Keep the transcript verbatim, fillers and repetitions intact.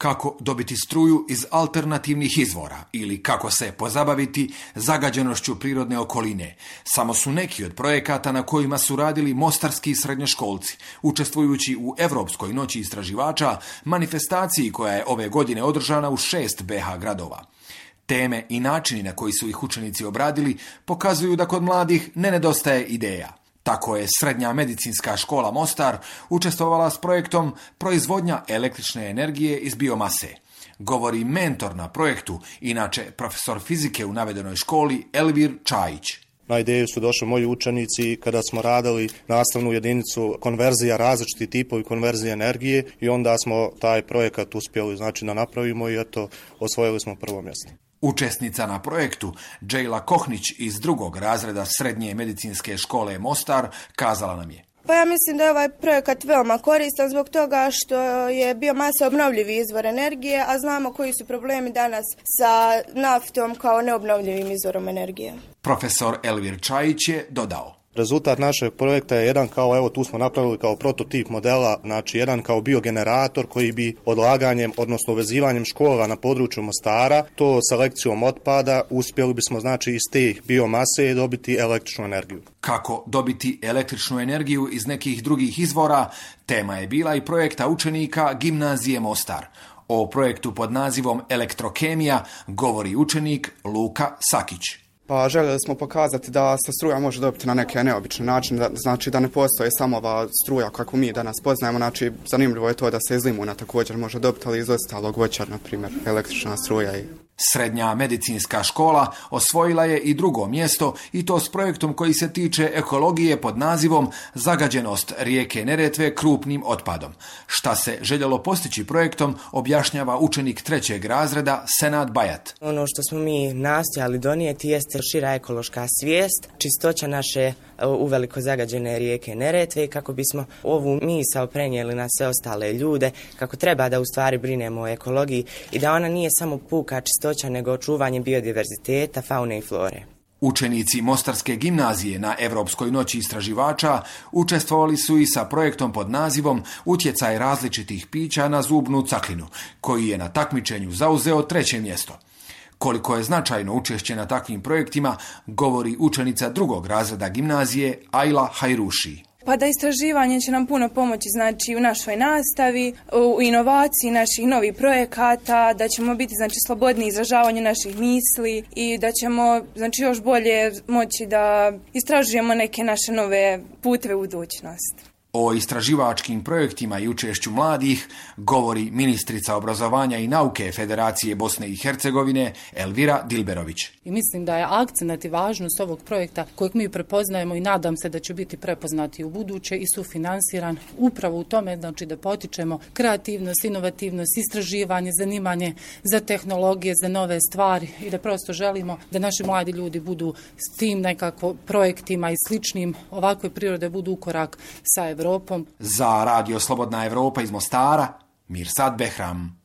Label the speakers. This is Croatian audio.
Speaker 1: Kako dobiti struju iz alternativnih izvora ili kako se pozabaviti zagađenošću prirodne okoline. Samo su neki od projekata na kojima su radili mostarski srednjoškolci, učestvujući u Evropskoj noći istraživača, manifestaciji koja je ove godine održana u šest be ha gradova. Teme i načini na koji su ih učenici obradili pokazuju da kod mladih ne nedostaje ideja. Tako je Srednja medicinska škola Mostar učestvovala s projektom proizvodnja električne energije iz biomase. Govori mentor na projektu, inače profesor fizike u navedenoj školi Elvir Čajić.
Speaker 2: Na ideju su došli moji učenici kada smo radili nastavnu jedinicu konverzija, različiti tipovi konverzije energije i onda smo taj projekat uspjeli znači da napravimo i eto osvojili smo prvo mjesto.
Speaker 1: Učesnica na projektu, Džejla Kohnić iz drugog razreda Srednje medicinske škole Mostar, kazala nam je.
Speaker 3: Pa ja mislim da je ovaj projekat veoma koristan zbog toga što je biomasa obnovljivi izvor energije, a znamo koji su problemi danas sa naftom kao neobnovljivim izvorom energije.
Speaker 1: Profesor Elvir Čajić je dodao.
Speaker 2: Rezultat našeg projekta je jedan kao, evo tu smo napravili kao prototip modela, znači jedan kao biogenerator koji bi odlaganjem, odnosno uvezivanjem škola na području Mostara, to selekcijom otpada, uspjeli bismo znači iz te biomase dobiti električnu energiju.
Speaker 1: Kako dobiti električnu energiju iz nekih drugih izvora, tema je bila i projekta učenika Gimnazije Mostar. O projektu pod nazivom Elektrokemija govori učenik Luka Sakić.
Speaker 4: Pa željeli smo pokazati da se struja može dobiti na neke neobične načine, da, znači da ne postoji samo ova struja kako mi danas poznajemo, znači zanimljivo je to da se iz limuna također može dobiti, ali iz ostalog voća, na primjer, električna struja. I...
Speaker 1: Srednja medicinska škola osvojila je i drugo mjesto i to s projektom koji se tiče ekologije pod nazivom Zagađenost rijeke Neretve krupnim otpadom. Šta se željelo postići projektom objašnjava učenik trećeg razreda Senad Bajat.
Speaker 5: Ono što smo mi nastojali donijeti jeste šira ekološka svijest, čistoća naše uveliko zagađene rijeke Neretve i kako bismo ovu misao prenijeli na sve ostale ljude, kako treba da u stvari brinemo o ekologiji i da ona nije samo puka čistoća nego očuvanje biodiverziteta, faune i flore.
Speaker 1: Učenici Mostarske gimnazije na Evropskoj noći istraživača učestvovali su i sa projektom pod nazivom Utjecaj različitih pića na zubnu caklinu, koji je na takmičenju zauzeo treće mjesto. Koliko je značajno učešće na takvim projektima, govori učenica drugog razreda gimnazije Ajla Hajruši.
Speaker 6: Pa da istraživanje će nam puno pomoći znači u našoj nastavi, u inovaciji naših novih projekata, da ćemo biti znači slobodni izražavanju naših misli i da ćemo znači još bolje moći da istražujemo neke naše nove puteve u budućnost.
Speaker 1: O istraživačkim projektima i učešću mladih govori ministrica obrazovanja i nauke Federacije Bosne i Hercegovine Elvira Dilberović.
Speaker 7: I mislim da je akcenat i važnost ovog projekta kojeg mi prepoznajemo i nadam se da će biti prepoznati u buduće i sufinansiran upravo u tome znači da potičemo kreativnost, inovativnost, istraživanje, zanimanje za tehnologije, za nove stvari i da prosto želimo da naši mladi ljudi budu s tim nekako projektima i sličnim ovakve prirode budu u korak sa Evropom.
Speaker 1: Za Radio Slobodna Evropa iz Mostara, Mirsad Behram.